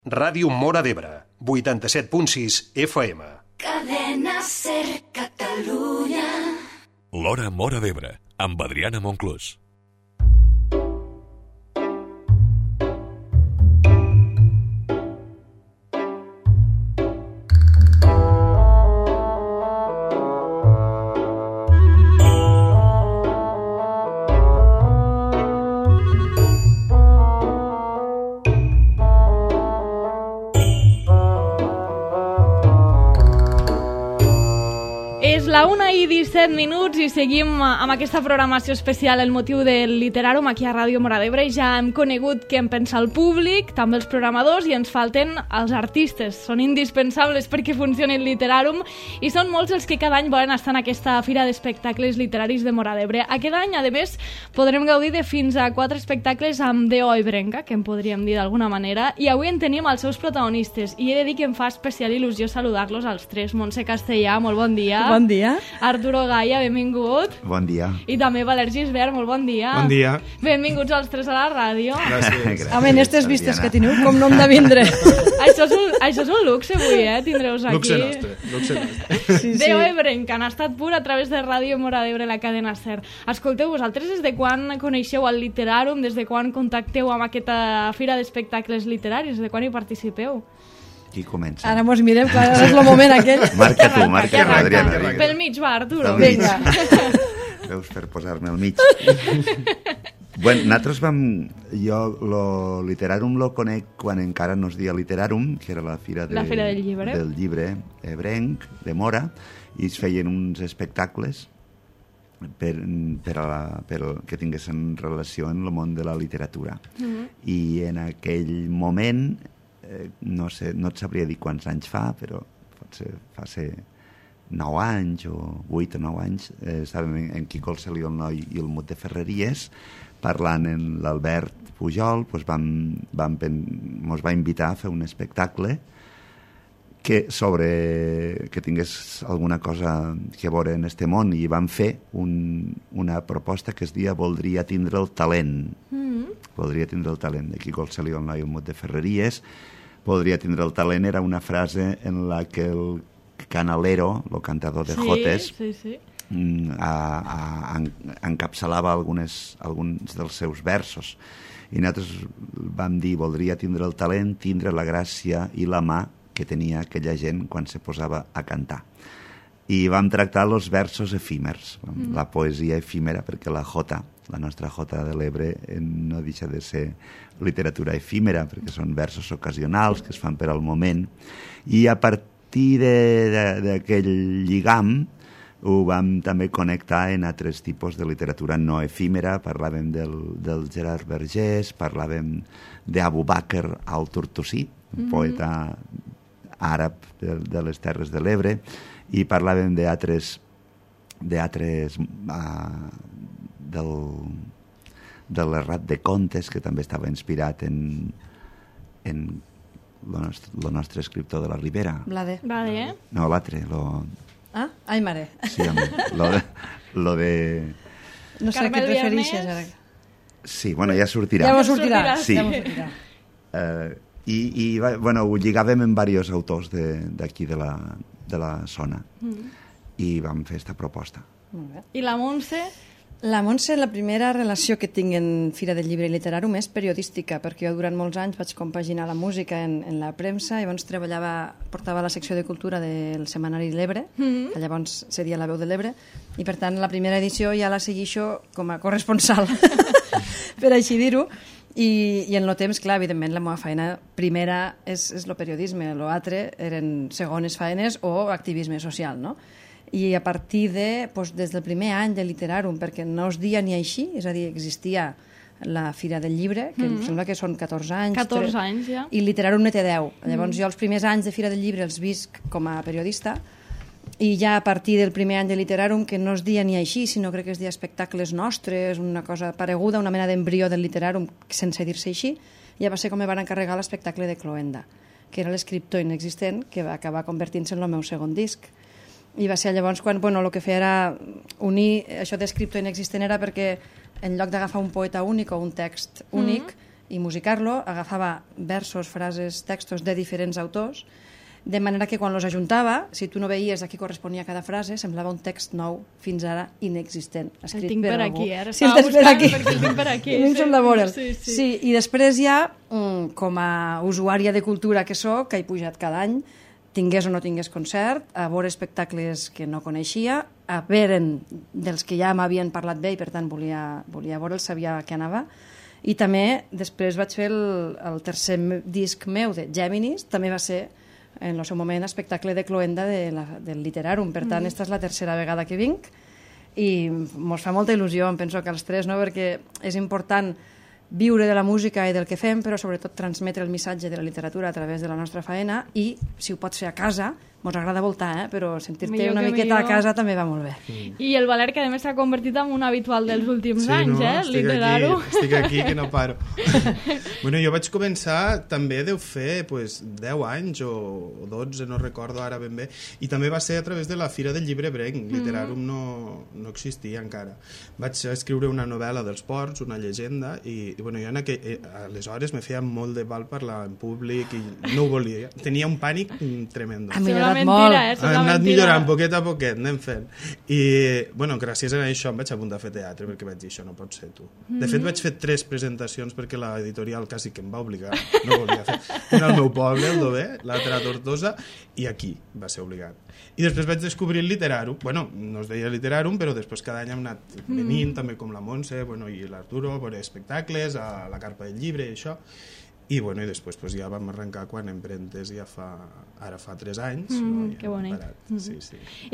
Ràdio Móra d'Ebre, 87.6 FM. Cadena Ser Catalunya. L'Hora Móra d'Ebre, amb Adriana Monclús. La 1:17 i seguim amb aquesta programació especial El motiu del Literàrum aquí a Ràdio Móra d'Ebre. Ja hem conegut què en pensa el públic, també els programadors, i ens falten els artistes. Són indispensables perquè funcioni el Literàrum i són molts els que cada any volen estar en aquesta fira d'espectacles literaris de Móra d'Ebre. Aquest any, a més, podrem gaudir de fins a 4 espectacles amb D.O. Ebrenca, que en podríem dir d'alguna manera, i avui en tenim els seus protagonistes, i he de dir que em fa especial il·lusió saludar-los als tres. Montse Castellà, molt bon dia. Bon dia. Arturo Gaia, benvingut. Bon dia. I també Valer Gisbert, molt bon dia. Bon dia. Benvinguts els tres a la ràdio. Gràcies. Home, en aquestes vistes que teniu, com no hem de vindre. Això és un luxe avui, tindreus aquí. Luxe nostre. Sí, sí. Déu Ebrenca, han estat pur a través de Ràdio Móra d'Ebre, la cadena SER. Escolteu, vosaltres des de quan coneixeu el Literàrum, des de quan contacteu amb aquesta fira d'espectacles literaris, des de quan hi participeu? Qui comença? Ara mos mirem, clar, ara és el moment aquell. Marca tu, Adriana. Pel mig, va, Arturo. Pel mig. Vinga. Veus, per posar-me al mig. Bueno, nosaltres jo lo Literàrum lo conec quan encara no es deia Literàrum, que era la fira del llibre. Del llibre ebrenc, de Móra, i es feien uns espectacles per que tinguessin relació amb el món de la literatura. I en aquell moment, no et sabria dir quants anys fa, però fa 9 anys o 8 o 9 anys, estàvem en Quico el Celió el Noi i el Mut de Ferreries, parlant amb l'Albert Pujol, mos va invitar a fer un espectacle que tingués alguna cosa que veure en este món, i vam fer una proposta que es deia Voldria tindre el talent. Voldria tindre el talent, de Quico el Celió el Noi i el Mut de Ferreries. Voldria tindre el talent era una frase en la que el canalero, el cantador de jotes, encapçalava alguns dels seus versos. I nosaltres vam dir, voldria tindre el talent, tindre la gràcia i la mà que tenia aquella gent quan se posava a cantar. I vam tractar els versos efímers, la poesia efímera, perquè la nostra Jota de l'Ebre no deixa de ser literatura efímera, perquè són versos ocasionals que es fan per al moment. I a partir d'aquell lligam ho vam també connectar en altres tipus de literatura no efímera. Parlàvem del Gerard Vergés, parlàvem d'Abu Bakr al-Tortosí, un poeta àrab de les Terres de l'Ebre, i parlàvem d'altres de l'Errat de Contes, que també estava inspirat en el nostre escriptor de la Ribera. Blade. No, l'altre. Ah? Ai, mare. Sí, home. Lo de... No sé a què et refereixes ara. Sí, bueno, ja sortirà. Ja mos sortirà. Sí. Ja mos sortirà. Ho lligàvem amb diversos autors d'aquí de la zona, i vam fer aquesta proposta. I la Montse? La Montse, la primera relació que tinc en Fira del Llibre i Literàrum és periodística, perquè jo durant molts anys vaig compaginar la música en la premsa, i llavors portava la secció de cultura del setmanari L'Ebre, que llavors seria La Veu de l'Ebre, i per tant la primera edició ja la seguixo com a corresponsal, per així dir-ho. I en el temps, clar, evidentment, la meva feina primera és el periodisme, l'altre eren segones feines o activisme social, no? I a partir des del primer any de Literàrum, perquè no es dia ni així, és a dir, existia la Fira del Llibre, que em sembla que són 14 anys. 14 anys, ja. I Literàrum ne té 10. Llavors jo els primers anys de Fira del Llibre els visc com a periodista, i ja a partir del primer any de Literàrum, que no es dia ni així, sinó crec que es dia espectacles nostres, una cosa pareguda, una mena d'embrió del Literàrum, sense dir-se així, ja va ser com me van encarregar l'espectacle de Cloenda, que era l'escriptor inexistent, que va acabar convertint-se en el meu segon disc. I va ser llavors quan el que feia era unir això d'escriptor inexistent, era perquè en lloc d'agafar un poeta únic o un text únic, i musicar-lo, agafava versos, frases, textos de diferents autors, de manera que quan los ajuntava, si tu no veies a qui corresponia cada frase, semblava un text nou, fins ara inexistent, escrit el tinc per algú. aquí, ara Sí, el estava tens per buscant aquí. perquè el tinc per aquí. A mi em sembla veure'l. Sí. Sí, i després ja, com a usuària de cultura que sóc, que he pujat cada any, tingués o no tingués concert, a veure espectacles que no coneixia, a veure dels que ja m'havien parlat bé i per tant volia veure'ls, sabia que anava, i també després vaig fer el tercer disc meu de Géminis, també va ser en el seu moment espectacle de cloenda del Literarum, per tant esta és la tercera vegada que vinc i mos fa molta il·lusió, em penso que els tres, no? Perquè és important viure de la música i del que fem, però sobretot transmetre el missatge de la literatura a través de la nostra faena i, si ho pots fer a casa, mos agrada voltar, però sentir-te una miqueta a casa també va molt bé. I el Valer, que a més s'ha convertit en un habitual dels últims anys, el Literarum. Estic aquí que no paro. Bueno, jo vaig començar, també deu fer 10 anys o 12, no recordo ara ben bé, i també va ser a través de la Fira del Llibre Brenc. Literarum no existia encara. Vaig escriure una novel·la dels ports, una llegenda, i bueno, jo aleshores me feia molt de mal parlar en públic i no ho volia. Tenia un pànic tremendo. Mentira, ha anat millorant poquet a poquet, anem fent. I, bueno, gràcies a això em vaig apuntar a fer teatre, perquè vaig dir, això no pot ser tu. De fet, vaig fer 3 presentacions perquè l'editorial quasi que em va obligar, no volia fer. Una al meu poble, el Dover, l'altra a Tortosa, i aquí va ser obligat. I després vaig descobrir el Literarum, bueno, no es deia Literarum, però després cada any hem anat venint, també com la Montse, bueno, i l'Arturo, a veure espectacles, a la Carpa del Llibre i això. I, bueno, i després ja vam arrencar quan Emprentes ara fa 3 anys. Que bonic. Sí.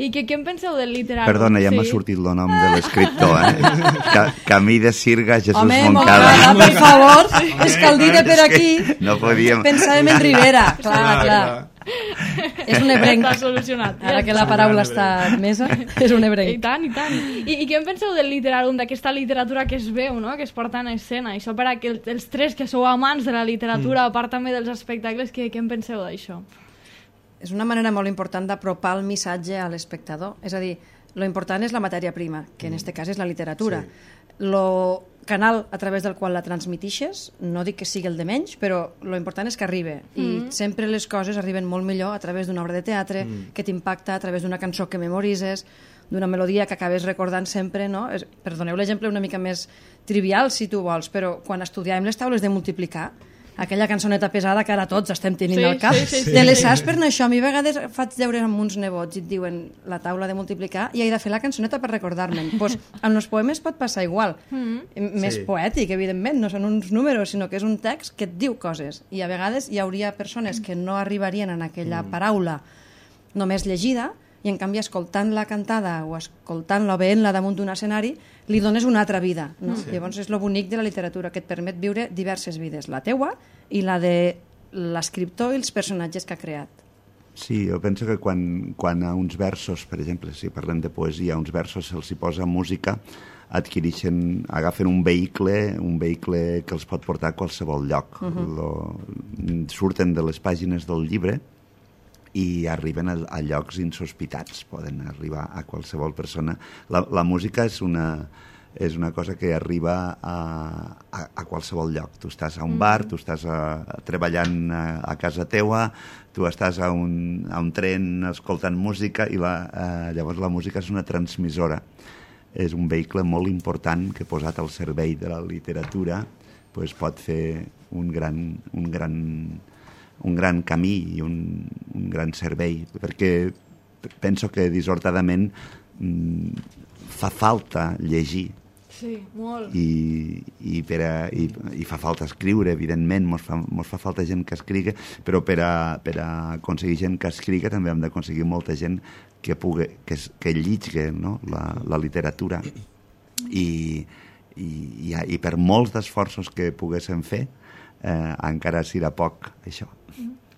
I què en penseu del Literarum? Perdona, ja m'ha sortit el nom de l'escriptor, Camí de Sirga, Jesús Moncada. Home, per favor, és que el dit per aquí no podíem... pensàvem en Rivera, clar. És un ebrenc. Està solucionat. Ara que la paraula està admesa, és un ebrenc. I tant. I què en penseu del Literarum, d'aquesta literatura que es veu, no? Que es porta en escena? Això per a que els tres que sou amants de la literatura, a part també dels espectacles, què en penseu d'això? És una manera molt important d'apropar el missatge a l'espectador. És a dir, lo important és la matèria prima, que en aquest cas és la literatura. Lo canal a través del qual la transmitixes, no dic que sigui el de menys, però lo important és que arribi. I sempre les coses arriben molt millor a través d'una obra de teatre que t'impacta, a través d'una cançó que memoritzes, d'una melodia que acabes recordant sempre, no? Perdoneu l'exemple una mica més trivial, si tu vols, però quan estudiàvem les taules de multiplicar, aquella cançoneta pesada que ara tots estem tenint al cap, te les saps per això. A mi a vegades faig deures amb uns nebots i et diuen la taula de multiplicar i he de fer la cançoneta per recordar-me'n. Pues, amb els poemes pot passar igual. Més poètic, evidentment, no són uns números, sinó que és un text que et diu coses. I a vegades hi hauria persones que no arribarien en aquella paraula només llegida, i en canvi escoltant-la cantada o escoltant-la o veient-la damunt d'un escenari li dones una altra vida, no? Llavors és lo bonic de la literatura, que et permet viure diverses vides, la teua i la de l'escriptor i els personatges que ha creat. Sí, jo penso que quan a uns versos, per exemple, si parlem de poesia, a uns versos se'ls hi posa música, agafen un vehicle que els pot portar a qualsevol lloc. Surten de les pàgines del llibre i arriben a llocs insospitats, poden arribar a qualsevol persona. La música és una cosa que arriba a qualsevol lloc. Tu estàs a un bar, tu estàs treballant a casa teua, tu estàs a un tren escoltant música i llavors la música és una transmissora. És un vehicle molt important que posat al servei de la literatura pot fer un gran camí i un gran servei, perquè penso que dissortadament fa falta llegir. Sí, molt. I fa falta escriure, evidentment, mos fa falta gent que escriga, però per a aconseguir gent que escriga també hem d'aconseguir molta gent que lligui, no? la literatura. I per molts d'esforços que poguéssim fer, encara serà poc, això.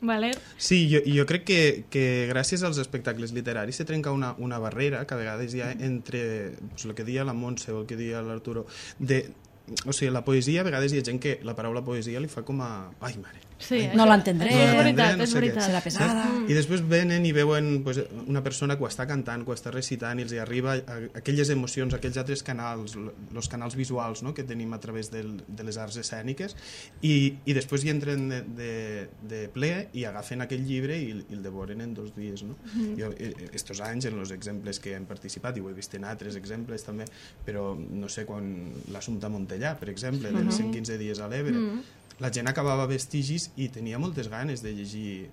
Valer? Sí, jo crec que gràcies als espectacles literaris se trenca una barrera que a vegades hi ha entre el que deia la Montse o el que deia l'Arturo. O sigui, la poesia, a vegades hi ha gent que la paraula poesia li fa com a... Ai, mare, Sí, No l'entendré. Això és veritat, no és sé què. veritat. Serà pesada. I després venen i veuen pues, una persona que ho està cantant, que ho està recitant i els hi arriba aquelles emocions, aquells altres canals, els canals visuals, no?, que tenim a través de les arts escèniques i després hi entren de ple i agafen aquell llibre i el devoren en 2 dies. No? Jo, estos anys, en els exemples que hem participat, i ho he vist en altres exemples també, però no sé, quan l'Assumpta Montellà, per exemple, dels 115 dies a l'Ebre, la gent acabava Vestigis i tenia moltes ganes de llegir,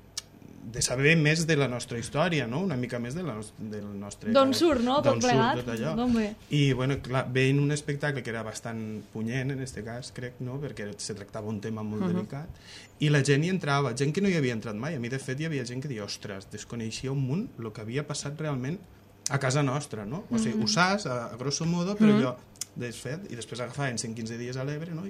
de saber més de la nostra història, no? Una mica més del nostre... D'on surt, no?, tot plegat. Tot allò. D'on ve? I, bueno, clar, veient un espectacle que era bastant punyent, en aquest cas, crec, no?, perquè se tractava un tema molt delicat, i la gent hi entrava, gent que no hi havia entrat mai. A mi, de fet, hi havia gent que deia, ostres, desconeixia un munt el que havia passat realment a casa nostra, no? O sigui, ho saps, a grosso modo, però allò desfet, i després agafaven 115 dies a l'Ebre, no?,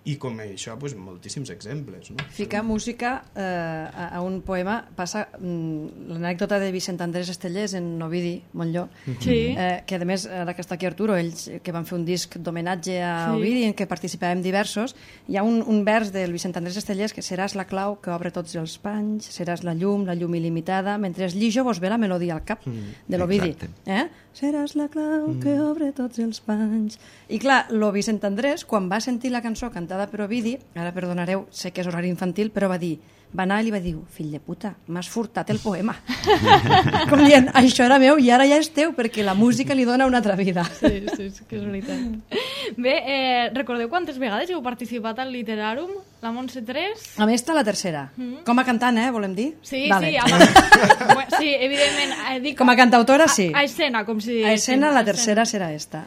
i com això, pues, moltíssims exemples. No? Ficar música a un poema passa... L'anècdota de Vicent Andrés Estellers en Ovidi Montllor, Sí. que a més, ara que està aquí Arturo, ells que van fer un disc d'homenatge a Ovidi en què participàvem diversos, hi ha un vers del Vicent Andrés Estellers que seràs la clau que obre tots els panys, seràs la llum il·limitada, mentre es llijo vos ve la melodia al cap de l'Ovidi. Seràs la clau que obre tots els panys. I clar, lo Vicent Andrés, quan va sentir la cançó cantada per Ovidi, ara perdonareu, sé que és horari infantil, però va anar i li va dir, fill de puta, m'has furtat el poema. Com dient, això era meu i ara ja és teu, perquè la música li dona una altra vida. Sí, que és veritat. Bé, recordeu quantes vegades heu participat al Literàrum? La Montse 3? A més, està la tercera. Com a cantant, volem dir? Sí, vale. sí, evidentment. Dic, Com a cantautora, sí. A escena, com si... A escena, la tercera serà esta.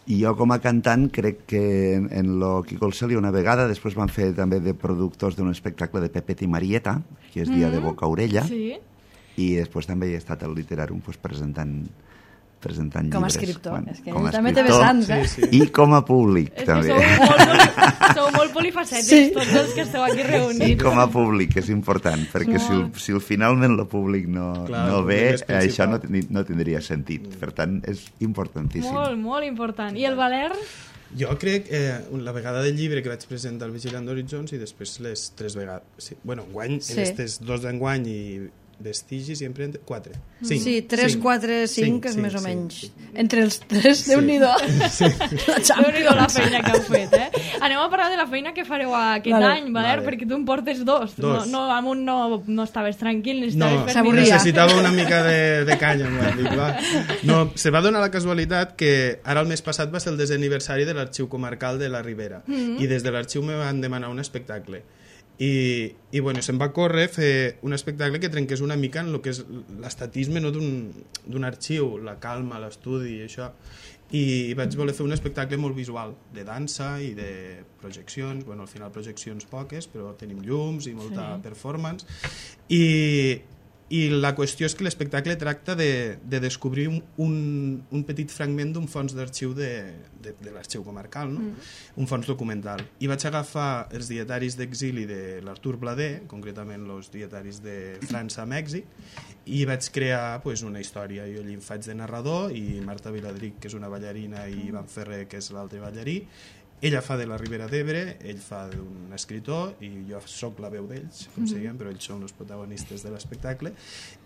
I jo com a cantant crec que en lo Quico el Celi una vegada, després van fer també de productors d'un espectacle de Pepet i Marieta, que és Dia de Boca a Orella, Sí. i després també he estat al Literàrum pues, presentant llibres. Com a escriptor, és que com a ell també té escriptor vessants, I com a públic, És que també. sou molt polifacètics, tots els que esteu aquí reunits. I com a públic, és important, perquè si finalment el públic no ve, això no tindria sentit. Per tant, és importantíssim. Molt, molt important. I el Valer? Jo crec la vegada del llibre que vaig presentar al Vigilant d'Horitzons i després les 3 vegades. Sí. Bueno, enguany, en aquestes 2 d'enguany i Vestigis i sempre 4. 5. Sí, 3, 4, 5 és més o menys. Sí. Entre els 3, Déu-n'hi-do. Déu-n'hi-do la feina que heu fet, Anem a parlar de la feina que fareu aquest any, Valer, perquè tu en portes 2. No, amb un no estaves tranquil, necessitava una mica de canya. Se va donar la casualitat que ara el mes passat va ser el 10è aniversari de l'Arxiu Comarcal de la Ribera i des de l'arxiu me van demanar un espectacle. I bueno, se'm va córrer fer un espectacle que trenqués una mica en el que és l'estatisme, no, d'un arxiu, la calma, l'estudi i això, i vaig voler fer un espectacle molt visual, de dansa i de projeccions, bueno, al final projeccions poques, però tenim llums i molta performance, i la qüestió és que l'espectacle tracta de descobrir un petit fragment d'un fons d'arxiu de l'arxiu comarcal, no? Un fons documental. I vaig agafar els dietaris d'exili de l'Artur Blader, concretament els dietaris de França a Mèxic, i vaig crear una història. Jo allí em faig de narrador i Marta Viladric, que és una ballarina, i Ivan Ferrer, que és l'altre ballarí. Ella fa de la Ribera d'Ebre, ell fa d'un escritor i jo sóc la veu d'ells, com siguem, però ells són els protagonistes de l'espectacle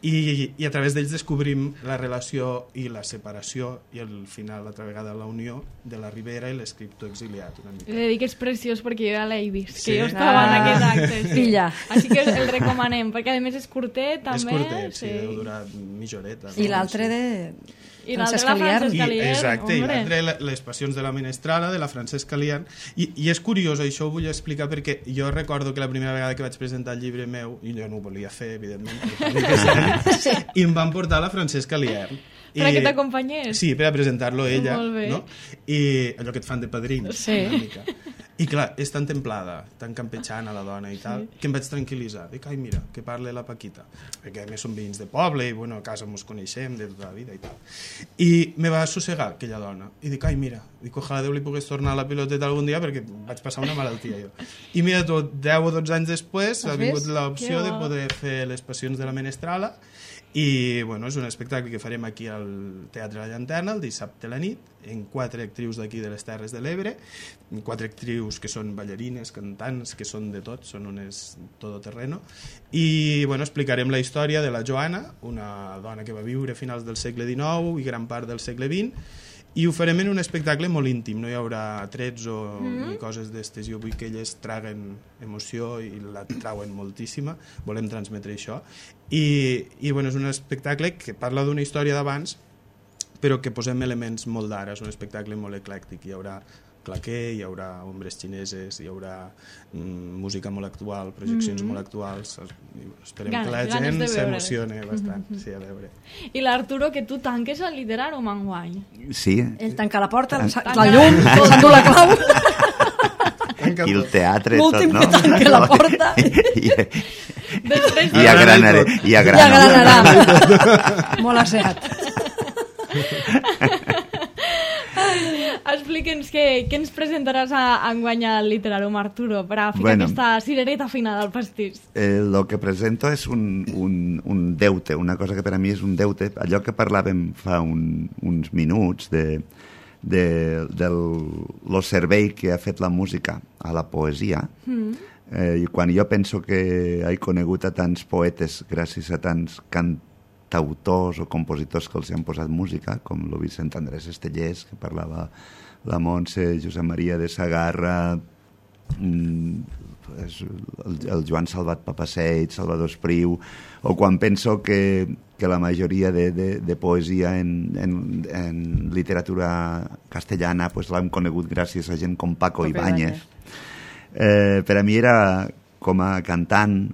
i a través d'ells descobrim la relació i la separació i al final, altra vegada, la unió de la Ribera i l'escriptor exiliat. He de dir que és preciós perquè jo ja l'he vist, que jo estava en aquest acte. Filla. Així que el recomanem, perquè a més és curtet també. És curtet, sí, deu durar mitja horeta. I l'altre de... I l'altre la Francesca Liern. Exacte, i l'altre les passions de la Menestrala, de la Francesca Liern. I és curiós, això ho vull explicar perquè jo recordo que la primera vegada que vaig presentar el llibre meu, i jo no ho volia fer, evidentment, i em van portar la Francesca Liern. Per que t'acompanyés? Sí, per a presentar-lo ella. Molt bé. No? I allò que et fan de padrins, una mica. I clar, és tan templada, tan campechana la dona i tal, que em vaig tranquil·litzar. Dic, ai, mira, que parle la Paquita. Perquè a més som veïns de poble i bueno, a casa ens coneixem de tota la vida i tal. I me va assossegar aquella dona. I dic, ai, mira, dic, ojalà Déu li pogués tornar la piloteta algun dia perquè vaig passar una malaltia jo. I mira, tot 10 o 12 anys després ha vingut l'opció de poder fer les passions de la Menestrala. I bueno, és un espectacle que farem aquí al Teatre La Llanterna el dissabte a la nit, en 4 actrius d'aquí de les Terres de l'Ebre, 4 actrius veus que són ballarines, cantants, que són de tot, són unes todoterreno. I bueno, explicarem la història de la Joana, una dona que va viure a finals del segle XIX i gran part del segle XX, i ho farem en un espectacle molt íntim, no hi haurà trets ni coses d'estes. Jo vull que elles traguen emoció i la trauen moltíssima, volem transmetre això. I bueno, és un espectacle que parla d'una història d'abans, però que posem elements molt d'ara, és un espectacle molt eclèctic. Hi haurà claquer, hi haurà ombres xineses, hi haurà música molt actual, projeccions molt actuals. Esperem que la gent s'emocione bastant. Sí, a veure. I l'Arturo, que tu tanques el Literàrum enguany. Sí. Ell tanca la porta, la llum, s'endú la clau. I el teatre, l'últim tot, no? que tanca la porta. I a Granarà. Molt asseat. Explica'ns què ens presentaràs enguany al Literàrum, Arturo, per a ficar aquesta cirereta final al pastís. Lo que presento és un deute, una cosa que per a mi és un deute. Allò que parlàvem fa uns minuts lo servei que ha fet la música a la poesia, i quan jo penso que he conegut a tants poetes gràcies a tants cantautors o compositors que els han posat música, com el Vicent Andrés Estellers, que parlava la Montse, Josep Maria de Sagarra, el Joan Salvat Papaseit, Salvador Espriu, o quan penso que la majoria de poesia en literatura castellana pues l'hem conegut gràcies a gent com Paco Ibáñez. Per a mi era, com a cantant,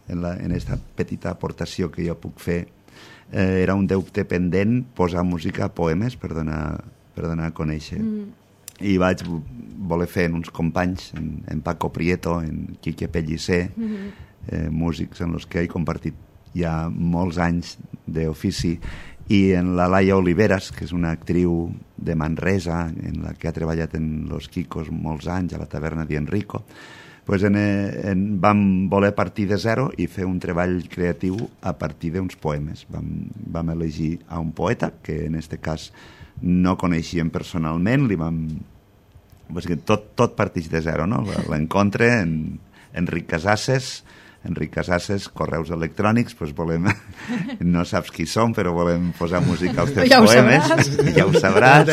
en esta petita aportació que jo puc fer, era un deute pendent posar música a poemes per donar a conèixer. I vaig voler fer en uns companys, en Paco Prieto, en Quique Pellicer, músics en els que he compartit ja molts anys d'ofici, i en la Laia Oliveras, que és una actriu de Manresa, en la que ha treballat en Los Quicos molts anys, a la taverna d'Enrico. Pues vam voler partir de zero i fer un treball creatiu a partir d'uns poemes. Vam elegir a un poeta, que en aquest cas no coneixíem personalment, tot parteix de zero, no? L'encontre en Enric Casasses, correus electrònics, pues volem, no saps qui som, però volem posar música als teus poemes, ja ho sabràs.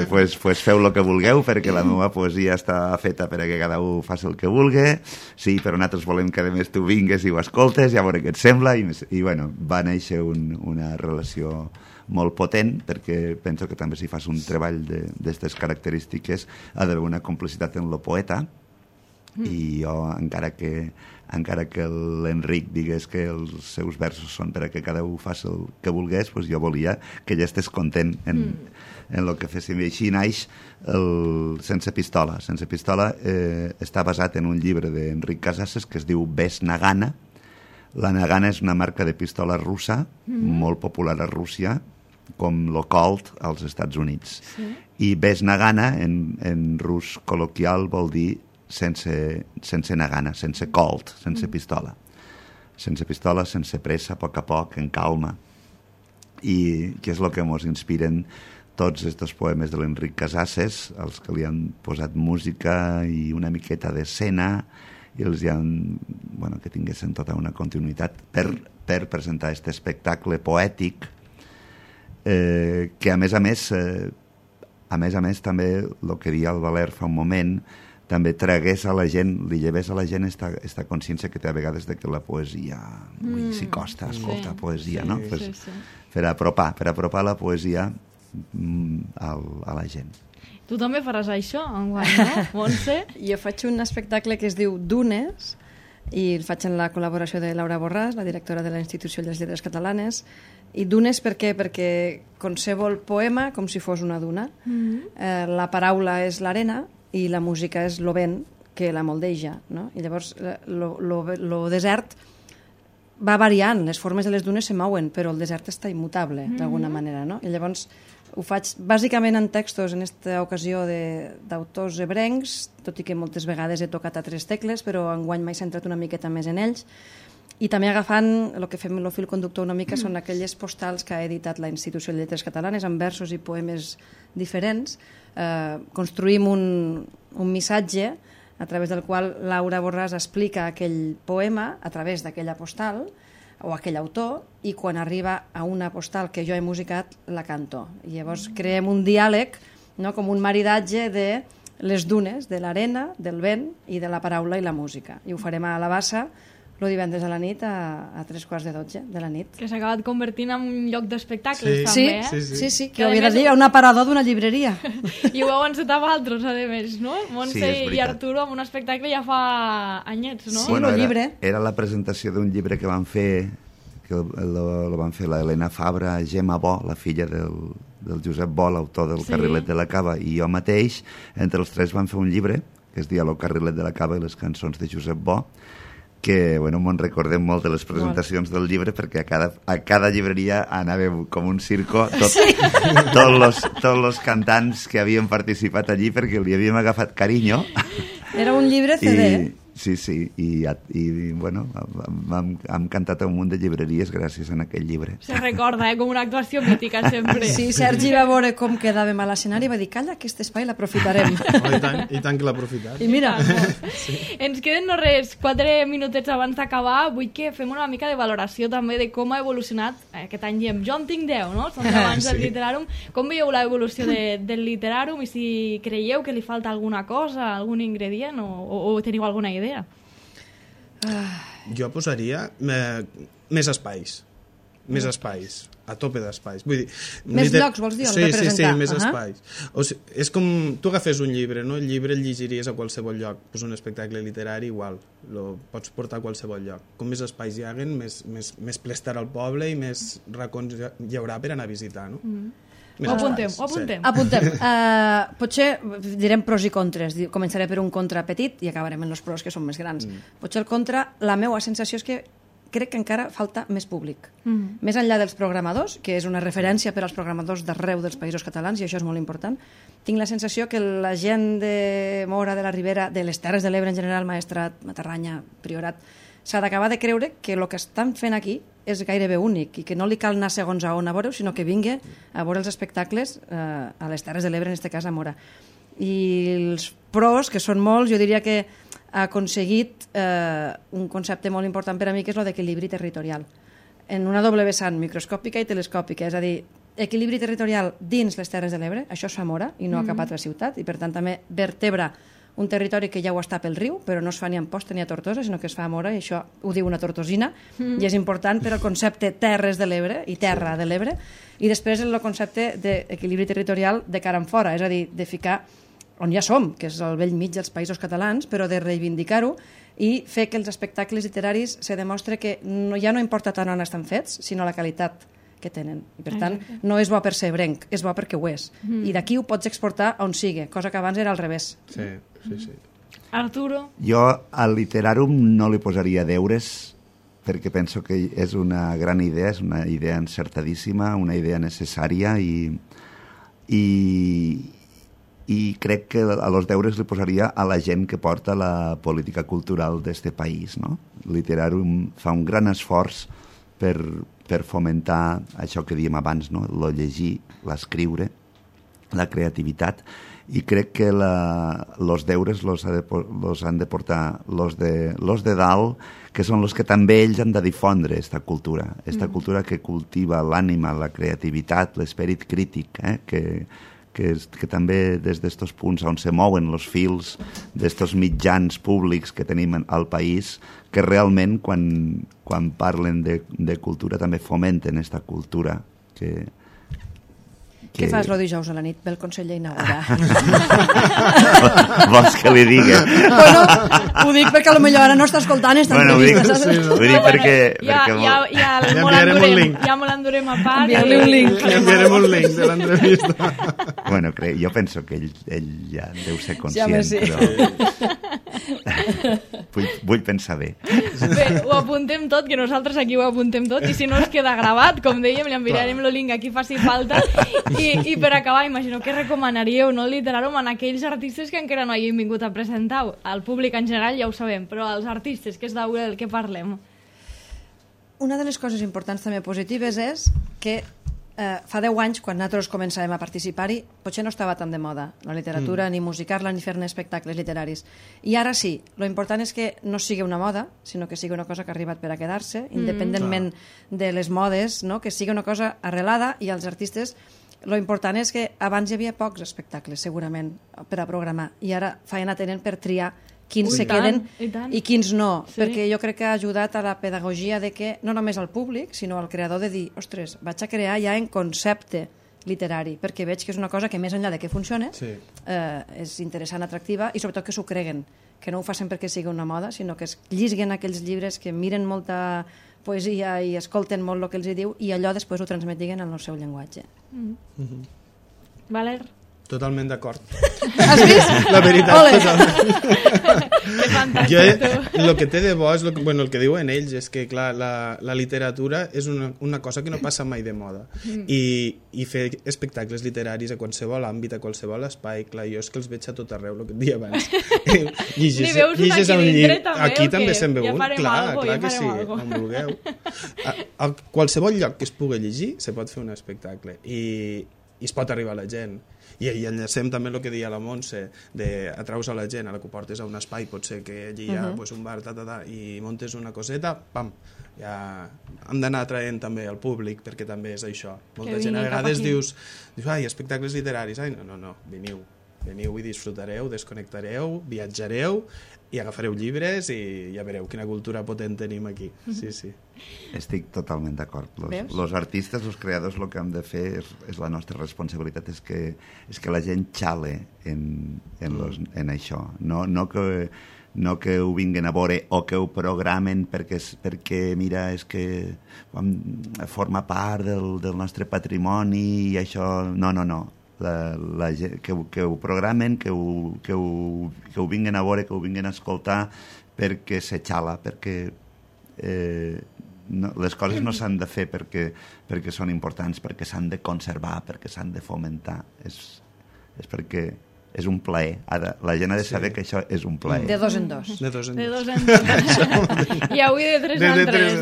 Pues feu el que vulgueu, perquè la meva poesia està feta perquè cada un faci el que vulgui, sí, però nosaltres volem que a més tu vingues i ho escoltes, ja veure què et sembla, i bueno, va néixer una relació molt potent, perquè penso que també si fas un treball d'aquestes característiques ha d'haver una complicitat en lo poeta, i jo, encara que l'Enric digués que els seus versos són per a que cada un faci el que volgués, pues jo volia que ella estés content en el que féssim. I així naix el Sense Pistola. Sense Pistola està basat en un llibre d'Enric Casasses que es diu Ves Nagana. La Nagana és una marca de pistola russa, molt popular a Rússia, com lo Colt als Estats Units. I Ves Nagana, en rus col·loquial, vol dir sense nagana, sense colt, sense pistola. Sense pistola, sense pressa, a poc, en calma. I que és el que ens inspiren tots aquests poemes de l'Enric Casasses, els que li han posat música i una miqueta d'escena, i els han, que tinguessin tota una continuïtat per presentar aquest espectacle poètic, que a més a més també, el que deia el Valer fa un moment, també tragués a la gent, li llevés a la gent esta consciència que té a vegades de que la poesia s'hi costa escoltar poesia, no? Per apropar la poesia a la gent. Tu també faràs això enguany, no, Montse? Jo faig un espectacle que es diu Dunes, i el faig en la col·laboració de Laura Borràs, la directora de la Institució de les Lletres Catalanes. I dunes per què? Perquè concebo el poema com si fos una duna. La paraula és l'arena i la música és lo vent que la moldeja, no? I llavors lo desert va variant, les formes de les dunes se mouen, però el desert està immutable d'alguna manera, no? I llavors ho faig bàsicament en textos, en aquesta ocasió d'autors ebrencs, tot i que moltes vegades he tocat altres tecles, però enguany m'he centrat una miqueta més en ells, I també agafant el que fem el fil conductor una mica són aquelles postals que ha editat la Institució de Lletres Catalanes amb versos i poemes diferents. Construïm un missatge a través del qual Laura Borràs explica aquell poema a través d'aquella postal o aquell autor, i quan arriba a una postal que jo he musicat, la canto. I llavors creem un diàleg, no? Com un maridatge de les dunes, de l'arena, del vent i de la paraula i la música. I ho farem a la Bassa el divendres a la nit a 3:45 de la nit. Que s'ha acabat convertint en un lloc d'espectacles, també, Sí, que ho havia de dir, un aparador d'una llibreria. I ho heu encetat vosaltres, a més, no? Montse i Arturo amb un espectacle ja fa anyets, no? Sí, el llibre. Era la presentació d'un llibre que van fer, que lo van fer l'Helena Fabra, Gemma Bo, la filla del Josep Bo, l'autor del Carrilet de la Cava, i jo mateix, entre els tres van fer un llibre que es deia El Carrilet de la Cava i les cançons de Josep Bo, que me'n recordem molt de les presentacions del llibre, perquè a cada llibreria anàvem com un circo, tots els cantants que havien participat allí, perquè li havíem agafat carinyo. Era un llibre CD. Sí, i hem cantat a un munt de llibreries gràcies a aquell llibre. Se recorda, com una actuació mítica sempre. Sí, Sergi va veure com quedàvem a l'escenari i va dir, calla, aquest espai l'aprofitarem. I tant que l'ha aprofitat. I mira, Ens queden no res, 4 minutets abans d'acabar. Vull que fem una mica de valoració també de com ha evolucionat aquest any. Diem, jo en tinc 10, no? Som abans del Literàrum. Com veieu l'evolució del Literàrum i si creieu que li falta alguna cosa, algun ingredient o teniu alguna idea? Jo posaria més espais. Més espais, a tope d'espais. Vull dir, més llocs, vols dir, on representar? Sí, més espais. O sigui, és com tu agafes un llibre, no? El llibre el llegiries a qualsevol lloc. Pues un espectacle literari igual, lo pots portar a qualsevol lloc. Com més espais hi haguen, més ple estarà al poble i més racons hi haurà per anar a visitar, no? Ho apuntem. Potser direm pros i contres. Començaré per un contra petit i acabarem en els pros, que són més grans. Potser el contra, la meva sensació és que crec que encara falta més públic. Més enllà dels programadors, que és una referència per als programadors d'arreu dels països catalans, i això és molt important, tinc la sensació que la gent de Móra, de la Ribera, de les Terres de l'Ebre en general, Maestrat, Matarranya, Priorat, s'ha d'acabar de creure que el que estan fent aquí és gairebé únic i que no li cal anar segons a on a veure-ho, sinó que vingui a veure els espectacles a les Terres de l'Ebre, en aquest cas a Móra. I els pros, que són molts, jo diria que ha aconseguit un concepte molt important per a mi, que és el d'equilibri territorial. En una doble vessant, microscòpica i telescòpica, és a dir, equilibri territorial dins les Terres de l'Ebre, això es fa a Móra i no a cap altra ciutat, i per tant també vertebra un territori que ja ho està pel riu, però no es fa ni a Amposta ni a Tortosa, sinó que es fa a Móra, i això ho diu una tortosina, i és important per al concepte Terres de l'Ebre i Terra de l'Ebre, i després el concepte d'equilibri territorial de cara en fora, és a dir, de ficar on ja som, que és al vell mig dels països catalans, però de reivindicar-ho i fer que els espectacles literaris se demostre que ja no importa tant on estan fets, sinó la qualitat que tenen. I per tant, no és bo per ser ebrenc, és bo perquè ho és. I d'aquí ho pots exportar on sigui, cosa que abans era al revés. Sí. Arturo? Jo al Literàrum no li posaria deures, perquè penso que és una gran idea, és una idea encertadíssima, una idea necessària i crec que a los deures li posaria a la gent que porta la política cultural d'este país, no? Literàrum fa un gran esforç per fomentar això que dèiem abans, no? Lo llegir, l'escriure, la creativitat, i crec que los deures los han de portar los de dalt, que són los que també ells han de difondre esta cultura que cultiva l'ànima, la creativitat, l'esperit crític, que també des d'estos punts on se mouen els fils d'estos mitjans públics que tenim al país, que realment quan parlen de cultura també fomenten esta cultura Què fas el dijous a la nit? Ve el conseller a inaugurar. Vols que li digui? Bueno, ho dic perquè potser ara no està escoltant esta entrevista, saps? Ho dic perquè... Ja me l'endurem a part. Enviar-li un link. Li enviarem un link de l'entrevista. Bueno, jo penso que ell ja deu ser conscient, però... Vull pensar bé. Bé, ho apuntem tot, que nosaltres aquí ho apuntem tot, i si no es queda gravat, com dèiem, li enviarem el link a qui faci falta. I per acabar, imagino que recomanaríeu, no, Literàrum, en aquells artistes que encara no hagin vingut a presentar. Al públic en general ja ho sabem, però als artistes, que és del que parlem. una de les coses importants també positives és que fa 10 anys, quan nosaltres començàvem a participar-hi, potser no estava tan de moda la literatura, ni musicar-la, ni fer-ne espectacles literaris. I ara sí, lo important és que no sigui una moda, sinó que sigui una cosa que ha arribat per a quedar-se, independentment de les modes, no? Que sigui una cosa arrelada, i els artistes, lo important és que abans hi havia pocs espectacles, segurament, per a programar, i ara feina tenen per triar quins se queden i quins no, perquè jo crec que ha ajudat a la pedagogia de que no només al públic, sinó al creador de dir, ostres, vaig a crear ja en concepte literari, perquè veig que és una cosa que més enllà de que funcione, és interessant, atractiva, i sobretot que s'ho creguen, que no ho facin perquè sigui una moda, sinó que es llisguen aquells llibres, que miren molta poesia i escolten molt el que els hi diu, i allò després ho transmetiguen en el seu llenguatge. Valer? Totalment d'acord. Has vist? La veritat, totalment. Que fantàstic, tu. El que té de bo és el que diuen ells, és que clar, la literatura és una cosa que no passa mai de moda, i fer espectacles literaris a qualsevol àmbit, a qualsevol espai, clar, jo és que els veig a tot arreu, el que et deia abans. Llegis un llibre, aquí també se'n veu un, clar que sí, on vulgueu. A qualsevol lloc que es pugui llegir se pot fer un espectacle, i es pot arribar a la gent. I enllacem també el que deia la Montse, d'atraus a la gent, a la que portes a un espai, pot ser que allí hi ha un bar, i montes una coseta, pam, ja hem d'anar atraent també al públic, perquè també és això. Molta gent a vegades dius, ai, espectacles literaris, ai, no, veniu i disfrutareu, desconnectareu, viatjareu, i agafareu llibres i ja veureu quina cultura potent tenim aquí. Sí. Estic totalment d'acord. Los artistes, els creadors, el que hem de fer és la nostra responsabilitat, és que la gent xale en això. No que ho vinguin a veure o que ho programen perquè mira, és que forma part del nostre patrimoni i això... No. Que ho programen, que ho vinguin a veure, que ho vinguin a escoltar, perquè se xala, perquè les coses no s'han de fer perquè són importants, perquè s'han de conservar, perquè s'han de fomentar. És perquè és un plaer. La gent ha de saber que això és un plaer. De dos en dos. I avui de tres en tres.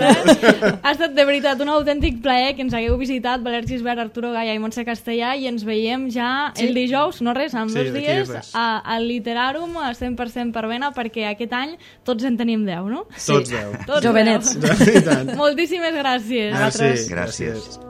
Ha estat de veritat un autèntic plaer que ens hagueu visitat, Valer Gisbert, Arturo Gaya i Montse Castellà, i ens veiem ja el dijous, no res, en 2 dies, al Literàrum, 100% per Vena, perquè aquest any tots en tenim 10, no? Tots 10. Jovenets. Moltíssimes gràcies. Gràcies.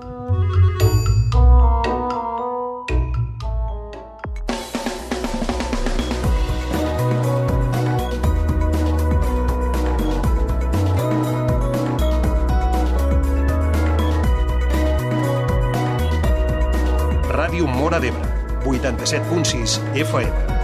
Ràdio Móra d'Ebre, 87.6 FM.